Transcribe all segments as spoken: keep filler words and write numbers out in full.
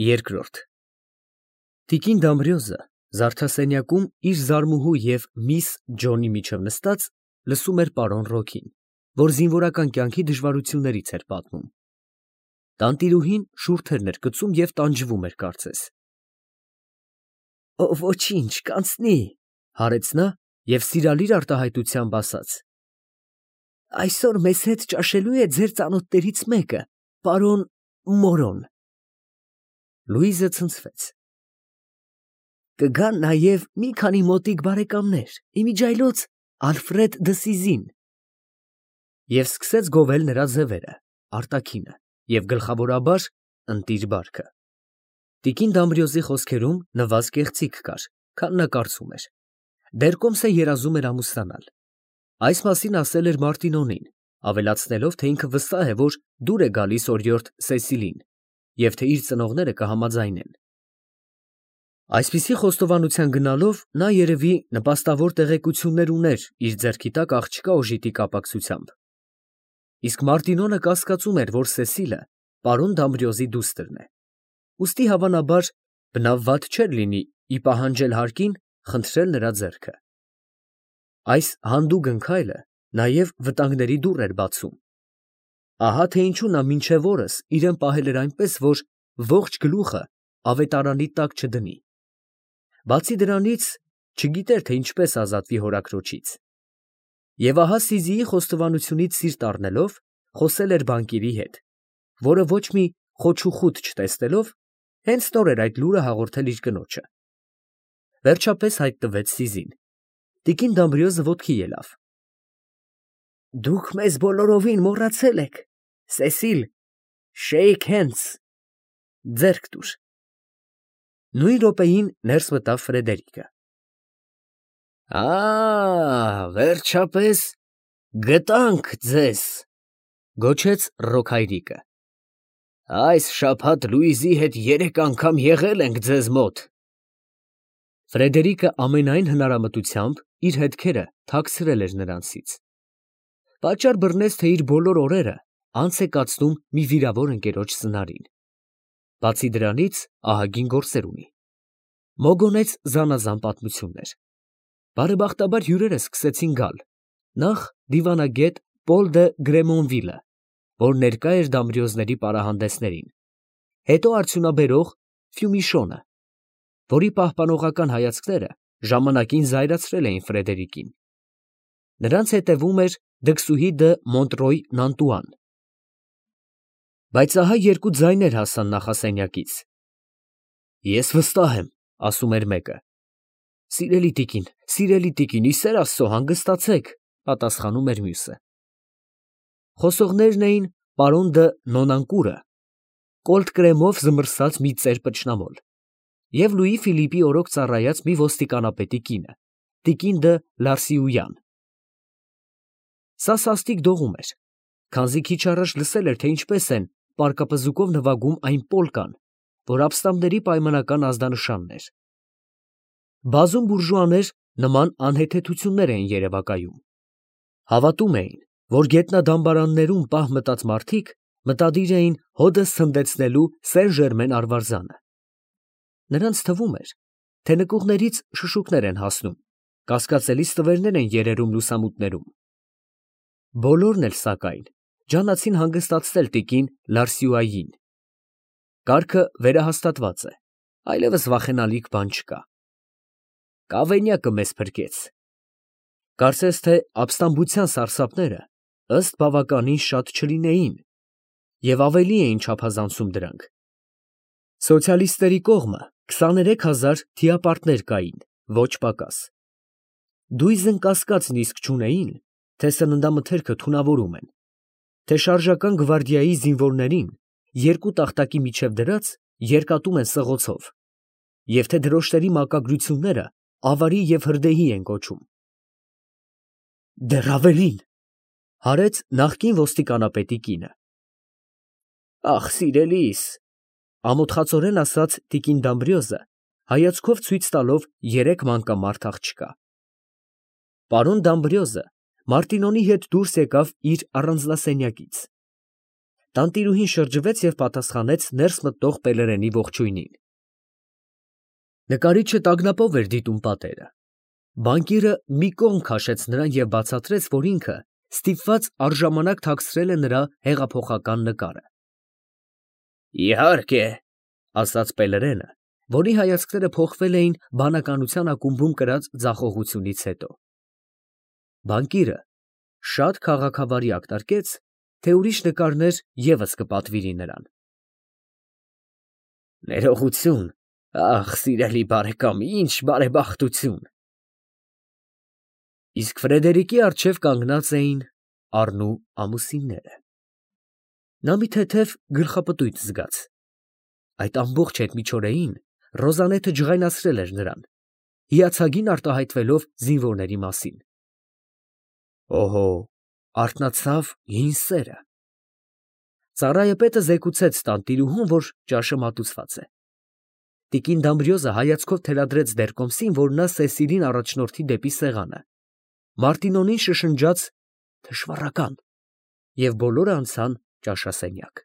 Երկրորդ Տիկին Դամբրիոզը զարդասենյակում իր զարմուհու և միս Ջոնի միջև նստած, լսում էր պարոն Ռոքին, որ զինվորական կյանքի դժվարություններից էր պատմում. տանտիրուհին շուրթերն էր գցում և տանջվում էր կարծես։ ֊ Ոչինչ, կանցնի, ֊ հարեց նա և սիրալիր արտահայտությամբ ասաց. ֊ Այսօր մեզ հետ ճաշելու է ձեր ծանոթներից մեկը, պարոն Մորոն։ Լուիզը ցնցվեց։ ֊ Կգան նաև մի քանի մոտիկ բարեկամներ, իմիջիայլոց Ալֆրեդ դը Սիզին… Եվ սկսեց գովել նրա ձևերը, արտաքինը և գլխավորաբար ընտիր բարքը։ Տիկին Դամբրիոզի խոսքերում նվազ կեղծիք կար, քան նա կարծում էր. դեռ կոմսը երազում էր ամուսնանալ։ Այս մասին ասել էր Մարտինոնին, ավելացնելով, թե ինքը վստահ է, որ դուր է գալիս օրիորդ Սեսիլին, և թե իր ծնողները կհամաձայնեն։ Այսպիսի խոստովանության գնալով նա, երևի, նպաստավոր տեղեկություններ ուներ իր ձեռքի տակ աղջկա օժիտի կապակցությամբ։ Իսկ Մարտինոնը կասկածում էր, որ Սեսիլը պարոն Դամբրիոզի դուստրն է, ուստի, հավանաբար, բնավ վատ չէր լինի ի պահանջել հարկին խնդրել նրա ձեռքը։ Այս հանդուգն քայլը նաև վտանգների դուռ էր բացում։ Ահա թե ինչու նա մինչև օրս իրան պահել էր այնպես, որ ողջ գլուխը ավետարանի տակ չդնի։ Բացի դրանից, չգիտեր, թե ինչպես ազատվի հորաքրոջից։ Եվ ահա Սիզիի խոստովանությունից սիրտ առնելով, խոսել էր բանկիրի հետ, որը ոչ մի խոչուխուտ չտեսնելով, հենց նոր էր այդ լուրը հաղորդել իր կնոջը։ Վերջապես հայտնվեց Սիզին։ Տիկին Դամբրիոզը ոտքի ելավ։ ֊ Դուք մեզ բոլորովին մոռացել եք, Սեսիլ, shake hands… ձեռք տուր… Նույն րոպեին ներս մտավ Ֆրեդերիկը։ ֊ Ա՜, վերջապես գտանք ձեզ, ֊ գոչեց Ռոքայրիկը։ ֊ Այս շաբաթ Լուիզի հետ երեք անգամ եղել ենք ձեզ մոտ։ Ֆրեդերիկը ամենայն հնարամտությամբ իր հետքերը թաքցրել էր նրանցից. պատճառ բռնեց, թե իր բոլոր օրերը անց է կացնում մի վիրավոր ընկերոջ ծնարին։ Բացի դրանից, ահագին գործեր ունի։ Մոգոնեց զանազան պատմություններ։ Բարեբախտաբար հյուրերը սկսեցին գալ. նախ դիվանագետ Պոլ դը Գրեմոնվիլը, որ ներկա էր Դամբրիոզների պարահանդեսներին, հետո արդյունաբերող Ֆյումիշոնը, որի պահպանողական հայացքները ժամանակին զայրացրել էին Ֆրեդերիկին։ Նրանց հետևում էր դքսուհի դը Մոնտրոյ Նանտուան։ Բայց ահա երկու ձայներ հասան նախասենյակից։ Ես վստահ եմ, ֊ ասում էր մեկը։ ֊ Սիրելի տիկին, սիրելի տիկին, ի սեր Աստծո, հանգստացեք, ֊ պատասխանում էր մյուսը։ Խոսողներն էին պարոն դը Նոնանկուրը, կոլտ֊կրեմով զմռսած մի ծեր պճնամոլ, և Լուի Ֆիլիպի օրոք ծառայած մի ոստիկանապետի կինը, տիկին դը Լարսիույան։ Սա սաստիկ դողում էր, քանզի քիչ առաջ լսել էր, թե ինչպես են պարկապզուկով նվագում այն պոլկան, որ ապստամբների պայմանական ազդանշանն էր։ Բազում բուրժուաներ նման անհեթեթություններ էին երևակայում։ Հավատում էին, որ գետնադամբարաններում պահ մտած մարդիկ մտադիր էին հօդս ցնդեցնելու Սեն֊Ժերմեն արվարձանը։ Նրանց թվում էր, թե նկուղներից շշուկներ են հասնում, կասկածելի ստվերներ են երերում լուսամուտներում։ Բոլորն էլ, սակայն, ջանացին հանգստացնել տիկին Լարսիուային։ Կարգը վերահաստատված է, այլևս վախենալիք բան չկա։ Կավենյակը մեզ փրկեց։ Կարծես թե ապստամբության սարսափները ըստ բավականին շատ չլինեին և ավելի էին չափազանցում դրանք։ Սոցիալիստների կողմը քսաներեք հազար թիապարտներ կային, ոչ պակաս։ Դույզն կասկածն իսկ չունեին, թե սննդամթերքը թունավորում են, թե շարժական գվարդիայի զինվորներին երկու տախտակի միջև դրած երկատում են սղոցով, և թե դրոշների մակագրությունները ավարի և հրդեհի են կոչում։ Դեռ ավելին, ֊ հարեց նախկին ոստիկանապետի կինը։ Ախ, սիրելիս, ֊ ամոթխածորեն ասաց տիկին Դամբրիոզը, հայացքով ցույց տալով երեք մանկամարդ աղջկա։ Պարոն Դամբրիոզը Մարտինոնի հետ դուրս եկավ իր առանձնասենյակից։ Տանտիրուհին շրջվեց և պատասխանեց ներս մտնող Պելերենի ողջույնին։ Նկարիչը տագնապով էր դիտում պատերը։ Բանկիրը մի կողմ քաշեց նրան և բացատրեց, որ ինքը ստիպված առժամանակ թաքցրել է նրա հեղափոխական նկարը։ Իհարկե, ասաց Պելերենը, որի հայացքները փոխվել էին բանականության ակումբում կրած ձախողությունից հետո։ Բանկիրը շատ քաղաքավարի ակնարկեց, թե ուրիշ նկարներ ևս կպատվիրի նրան։ Ներողություն, ախ, սիրելի բարեկամ, ինչ բարեբախտություն։ Իսկ Ֆրեդերիկի առջև կանգնած էին առնու ամուսինները։ Նա մի թեթև գլխապտույտ զգաց։ Այդ ամբողջ հետմիջօրեին Ռոզանեթը ջղայնացրել էր նրան, հիացագին արտահայտվելով զինվորների մասին։ Օհո, արթնացավ հին սերը։ Ծառայապետը զեկուցեց տանտիրուհուն, որ ճաշը մատուցված է։ Տիկին Դամբրիոզը հայացքով թելադրեց դեռկոմսին, որ նա Սեսիլին առաջնորդի դեպի սեղանը, Մարտինոնին շշնջաց թշվառական, և բոլորը անցան ճաշասենյակ։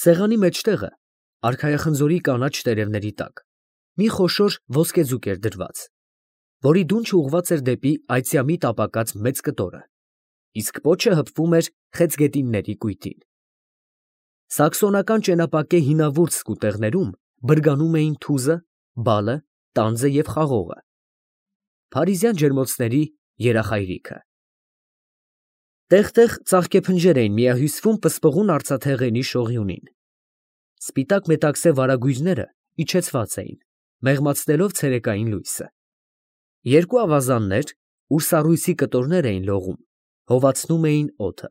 Սեղանի մեջտեղը, արքայախնձորի կանաչ տերևների տակ, մի խոշոր ոսկեձուկ էր դրված, որի դունչը ուղղված էր դեպի այծյամի տապակած մեծ կտորը, իսկ պոչը հպվում էր խեցգետինների կույտին։ Սաքսոնական ճենապակե հինավուրց սկուտեղներում բրգանում էին թուզը, բալը, տանձը և խաղողը, փարիզյան ջերմոցների երախայրիքը։ Տեղ֊տեղ ծաղկեփնջեր էին միահյուսվում պսպղուն արծաթեղենի շողյունին։ Սպիտակ մետաքսե վարագույրները իջեցված էին, մեղմացնելով ցերեկային լույսը։ Երկու ավազաններ, ուր սառույցի կտորներ էին լողում, հովացնում էին օդը։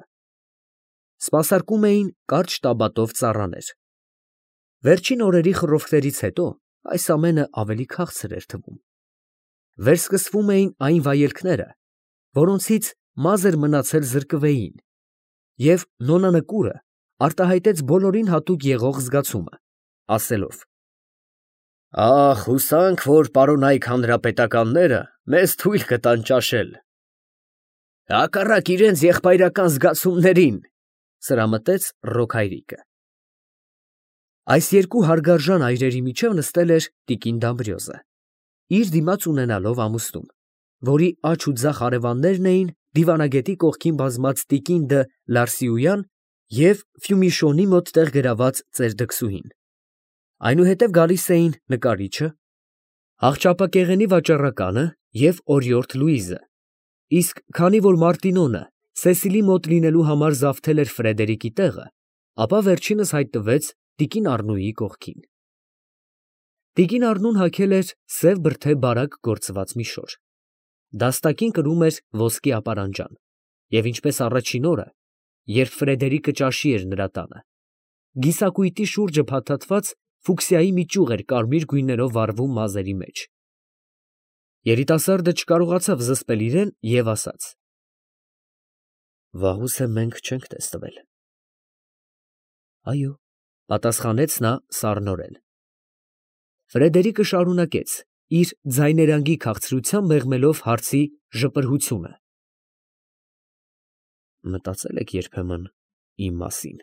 Սպասարկում էին կարճ տաբատով ծառաներ։ Վերջին օրերի խռովքներից հետո այս ամենը ավելի քաղցր էր թվում։ Վերսկսվում էին այն վայելքները, որոնցից մազ էր մնացել զրկվեին, և նոնա Նկուրը արտահայտեց բոլորին հատուկ եղող զգացումը, ասելով. Ախ, հուսանք, որ պարոնայք հանրապետականները մեզ թույլ կտան ճաշել։ Հակառակ իրենց եղբայրական զգացումներին, սրամտեց Ռոք հայրիկը։ Այս երկու հարգարժան այրերի միջև նստել էր տիկին Դամբրիոզը, իր դիմաց ունենալով ամուսնուն, որի աջ ու ձախ հարևաններն էին դիվանագետի կողքին բազմած տիկին դը Լարսիույան և Ֆյումիշոնի մոտ տեղ գրաված ծերդքսուհին։ Այնուհետև գալիս էին նկարիչը, աղճապակեղենի վաճառականը և օրիորդ Լուիզը, իսկ քանի որ Մարտինոնը Սեսիլի մոտ լինելու համար զավթել էր Ֆրեդերիկի տեղը, ապա վերջինս հայտնվեց տիկին Առնուի կողքին։ Տիկին Առնուն հագել էր սև բրդե բարակ գործված մի շոր։ Դաստակին կրում էր ոսկի ապարանջան, և ինչպես առաջին օրը, երբ Ֆրեդերիկը ճաշի էր նրա տանը, գիսակույտի շուրջը փաթաթված ֆուկսիայի մի ճյուղ էր կարմիր գույներով վառվում մազերի մեջ։ Երիտասարդը չկարողացավ զսպել իրեն և ասաց. Վաղուց է մենք չենք տեսնվել։ Այո, պատասխանեց նա սառնորեն։ Ֆրեդերիկը շարունակեց, իր ձայներանգի քաղցրությամբ մեղմելով հարցի ժպրհությունը. Մտածել եք երբեմն իմ մասին։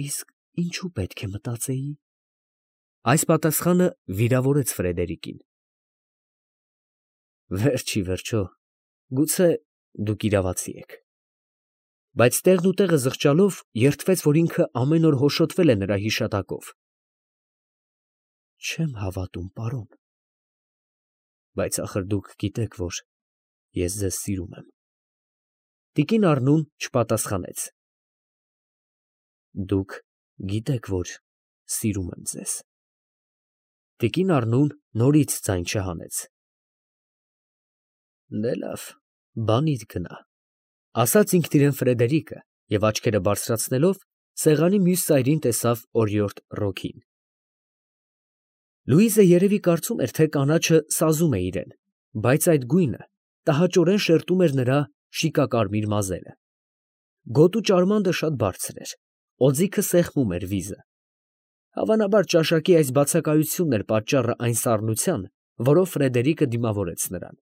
Իսկ ինչու պետք է մտածեի։ Այս պատասխանը վիրավորեց Ֆրեդերիկին։ Վերջ ի վերջո, գուցե դուք իրավացի եք։ Բայց տեղն ու տեղը զղջալով երդվեց, որ ինքը ամեն օր հոշոտվել է նրա հիշատակով։ Չեմ հավատում, պարոն։ Բայց ախր դուք գիտեք, որ ես ձեզ սիրում եմ։ Տիկին Առնուն չպատասխանեց։ Դուք գիտեք, որ սիրում եմ ձեզ։ Տիկին Առնուն նորից ձայն չհանեց։ Դե լավ, բանիդ գնա, ասաց ինքնիրան Ֆրեդերիկը և աչքերը բարձրացնելով սեղանի մյուս ծայրին տեսավ օրիորդ Ռոքին։ Լուիզը երևի կարծում էր, թե կանաչը սազում է իրեն, բայց այդ գույնը տհաճորեն շերտում էր նրա շիկակարմիր մազերը։ Գոտու ճարմանդը շատ բարձր էր, օձիքը սեղմում էր վիզը։ Հավանաբար ճաշակի այս բացակայությունն էր պատճառը այն սառնության, որով Ֆրեդերիկը դիմավորեց նրան։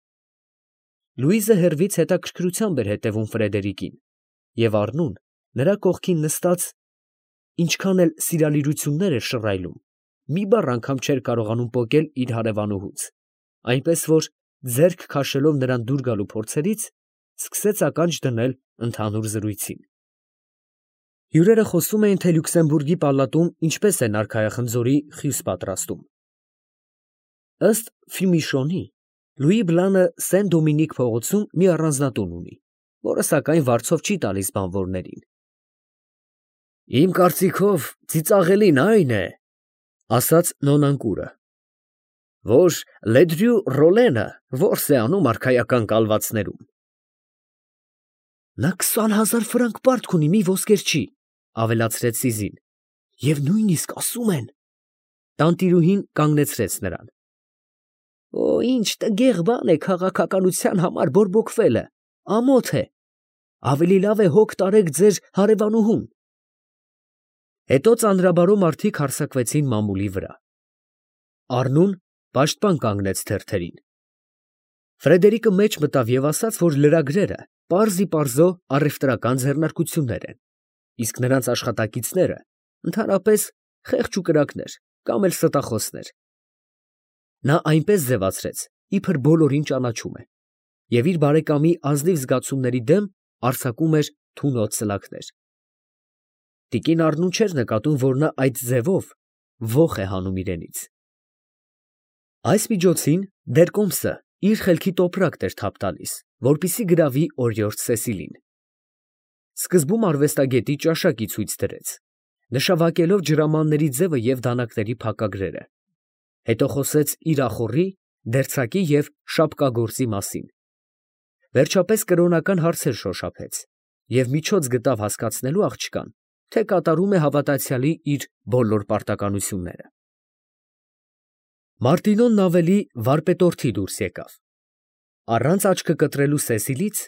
Լուիզը հեռվից հետաքրքրությամբ էր հետևում Ֆրեդերիկին և առնուն, նրա կողքին նստած, ինչքան էլ սիրալիրություններ էր շռայլում, մի բառ անգամ չէր կարողանում պոկել իր հարևանուհուց, այնպես որ, ձեռք քաշելով նրան դուր գալու փորձերից, սկսեց ականջ դնել ընդհանուր զրույցին։ Հյուրերը խոսում էին, թե Լյուքսեմբուրգի պալատում ինչպես են արքայախնձորի խյուս պատրաստում։ Ըստ Ֆյումիշոնի, Լուի Բլանը Սեն Դոմինիկ փողոցում մի առանձնատուն ունի, որը սակայն վարձով չի տալիս բանվորներին։ Իմ կարծիքով ծիծաղելին այն է, ասաց Նոնանկուրը, որ Լեդրյու Ռոլենը որս է անում արքայական կալվածներում։ Նա քսան հազար ֆրանկ պարտք ունի մի ոսկերչի, ավելացրեց Սիզին, և նույնիսկ ասում են… Տանտիրուհին կանգնեցրեց նրան։ Օ, ինչ տգեղ բան է քաղաքականության համար բորբոքվելը, ամոթ է, ավելի լավ է հոգ տարեք ձեր հարևանուհուն։ Հետո ծանրաբարո մարդիկ հարձակվեցին մամուլի վրա։ Առնուն պաշտպան կանգնեց թերթերին։ Ֆրեդերիկը մեջ մտավ և ասաց, որ լրագրերը պարզիպարզո առևտրական ձեռնարկություններ են, իսկ նրանց աշխատակիցները ընդհանրապես խեղճ ու կրակներ կամ էլ ստախոսներ։ Նա այնպես ձևացրեց, իբր բոլորին ճանաչում է, և իր բարեկամի ազնիվ զգացումների դեմ արձակում էր թունոտ սլաքներ։ Տիկին Առնուն չէր նկատում, որ նա այդ ձևով ոխ է հանում իրենից։ Այս միջոցին Դերկոմսը իր խելքի տոպրակն էր թափ տալիս, որպեսզի գրավի օրիորդ Սեսիլին։ Սկզբում արվեստագետի ճաշակի ցույց դրեց, նշավակելով ջրամանների ձևը և դանակների փակագրերը, հետո խոսեց իրախորի, դերձակի և շապկագործի մասին, վերջապես կրոնական հարցեր շոշափեց և միջոց գտավ հասկացնելու աղջկան, թե կատարում է հավատացյալի իր բոլոր պարտականությունները։ Մարտինոնն ավելի վարպետորթի դուրս եկավ։ Առանց աչքը կտրելու Սեսիլից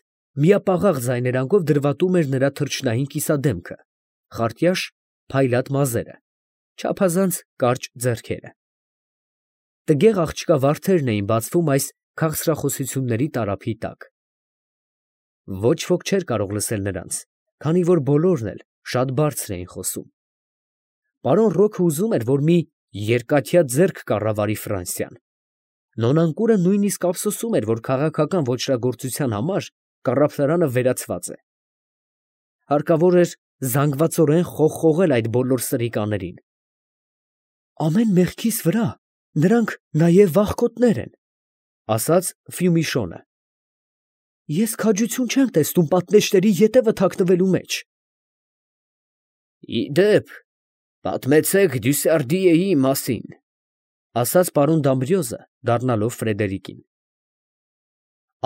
միապաղաղ ձայներանգով դրվատում էր նրա թրջնային կիսադեմքը, խարտյաշ, փայլատ մազերը, չափազանց կարճ ձեռքերը։ Տգեղ աղջկա վարդերն էին բացվում այս քաղցրախոսությունների տարափի տակ։ Ոչ ոք չէր կարող լսել նրանց, քանի որ բոլորն էլ շատ բարձր էին խոսում։ Պարոն Ռոքը ուզում էր, որ մի երկաթյա ձեռք կառավարի Ֆրանսիան։ Նոնանկուրը նույնիսկ ափսոսում էր, որ քաղաքական ոճրագործության համար կառավարանը վերացված է։ Հարկավոր էր զանգվածորեն խողխողել այդ բոլոր սրիկաներին։ Ամեն մեղքիս վրա նրանք նաև վախկոտներ են, ասաց Ֆյումիշոնը։ Ես քաջություն չեմ տեսնում պատնեշների ետևը թաքնվելու մեջ։ Ի դեպ, պատմեցեք Դյուսարդիեի մասին, ասաց պարոն Դամբրիոզը, դառնալով Ֆրեդերիկին։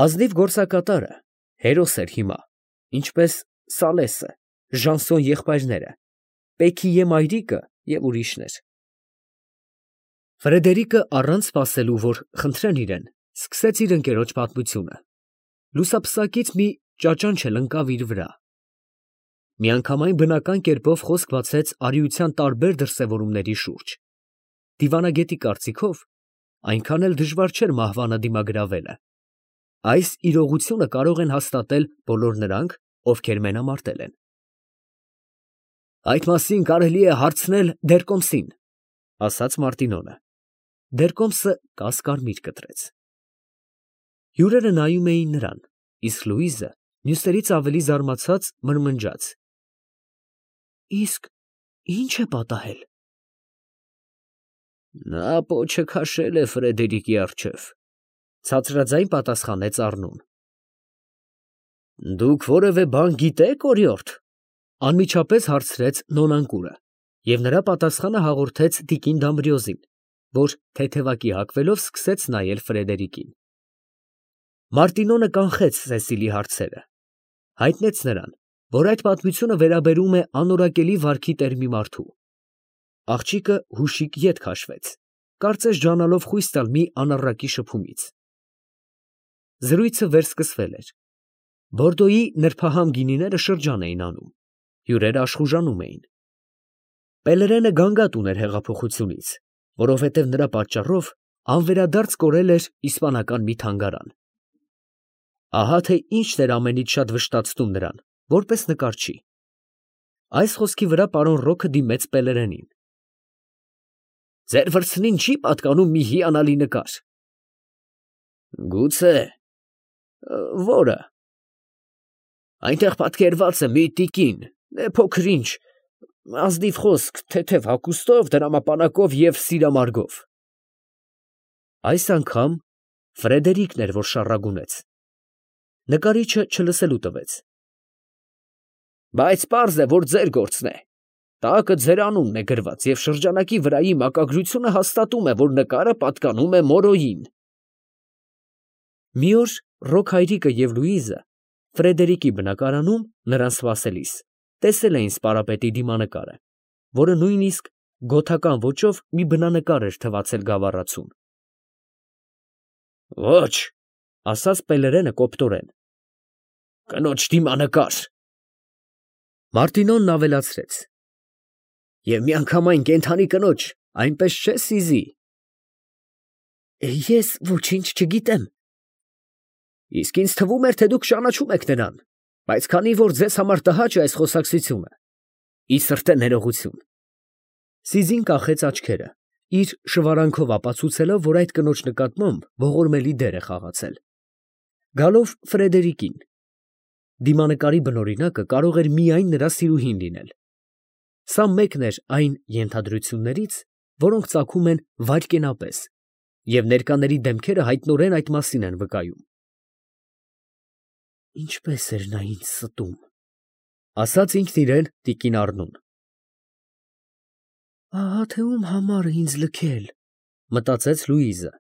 Ազնիվ գործակատարը հերոս էր հիմա, ինչպես Սալեսը, Ժանսոն եղբայրները, Պեքիե մայրիկը և ուրիշներ։ Ֆրեդերիկը առանց սպասելու, որ խնդրեն իրեն, սկսեց իր ընկերոջ պատմությունը։ Լուսապսակից մի ճաճանչ էլ ընկավ իր վրա։ Միանգամայն բնական կերպով խոսք բացեց արիության տարբեր դրսևորումների շուրջ։ Դիվանագետի կարծիքով, այնքան էլ դժվար չէր մահվանը դիմագրավելը։ Այս իրողությունը կարող են հաստատել բոլոր նրանք, ովքեր մենամարտել են։ Այդ մասին կարելի է հարցնել Դերկոմսին, ասաց Մարտինոնը։ Դերկոմսը կաս֊կարմիր կտրեց։ Հյուրերը նայում էին նրան, իսկ Լուիզը մյուսներից ավելի զարմացած մրմնջաց. Իսկ ի՞նչ է պատահել։ Նա պոչը քաշել է Ֆրեդերիկի առջև, ցածրաձայն պատասխանեց Առնուն։ Դուք որևէ բան գիտե՞ք, օրիորդ, անմիջապես հարցրեց Նոնանկուրը, և նրա պատասխանը հաղորդեց տիկին Դամբրիոզին, որ թեթևակի հագվելով սկսեց նայել Ֆրեդերիկին։ Մարտինոնը կանխեց Սեսիլի հարցերը, հայտնեց նրան, որ այդ պատմությունը վերաբերում է անորակելի վարքի տեր մի մարդու։ Աղջիկը հուշիկ ետ քաշվեց, կարծես ջանալով խույս տալ մի անառակի շփումից։ Զրույցը վերսկսվել էր։ Բորդոյի նրբահամ գինիները շրջան էին անում, հյուրերը աշխուժանում էին։ Պելերենը գանգատ ուներ հեղափոխությունից, որովհետև նրա պատճառով անվերադարձ կորել էր իսպանական մի թանգարան։ Ահա թե ինչն էր ամենից շատ վշտացնում նրան, որպես նկարչի։ Այս խոսքի վրա պարոն Ռոքը դիմեց Պելերենին։ Ձեր վրձնին չի պատկանում մի հիանալի նկար։ Գուցե, որը։ Այնտեղ պատկերված է մի տիկին, փոքր ինչ, ազնիվ խոսք, թեթև հագուստով, դրամապանակով և սիրամարգով։ Այս անգամ Ֆրեդերիկն էր, որ շառագունեց։ Նկարիչը չլսելու տվեց։ Բայց պարզ է, որ ձեր գործն է։ Տակը ձեր անունն է գրված, և շրջանակի վրայի մակագրությունը հաստատում է, որ նկարը պատկանում է Մորոյին։ Մի օր Ռոք հայրիկը և Լուիզը Ֆրեդերիկի բնակարանում նրան սպասելիս տեսել էին սպարապետի դիմանկարը, որը նույնիսկ գոթական ոճով մի բնանկար էր թվացել գավառացուն։ Ոչ, ասաց Պելերենը կոպտորեն, կնոջ դիմանկար։ Մարտինոն ավելացրեց. Եվ միանգամայն կենդանի կնոջ, այնպես չէ Սիզի։ Ես ոչինչ չգիտեմ։ Իսկ ինձ թվում էր, թե դուք ճանաչում եք նրան, բայց քանի որ ձեզ համար տհաճ է այս խոսակցությունը, ի սրտե ներողություն։ Սիզին կախեց աչքերը, իր շվարանքով ապացուցելով, որ այդ կնոջ նկատմամբ ողորմելի դեր է խաղացել։ Գալով Ֆրեդերիկին, դիմանկարի բնօրինակը կարող էր միայն նրա սիրուհին լինել։ Սա մեկն էր այն ենթադրություններից, որոնք ծագում են վայրկենապես, և ներկաների դեմքերը հայտնորեն այդ մասին են վկայում։ Ինչպես էր նա ինձ ստում, ասաց ինքն իրեն տիկին Առնուն։ Ահա թե ում համար է ինձ լքել, մտածեց Լուիզը։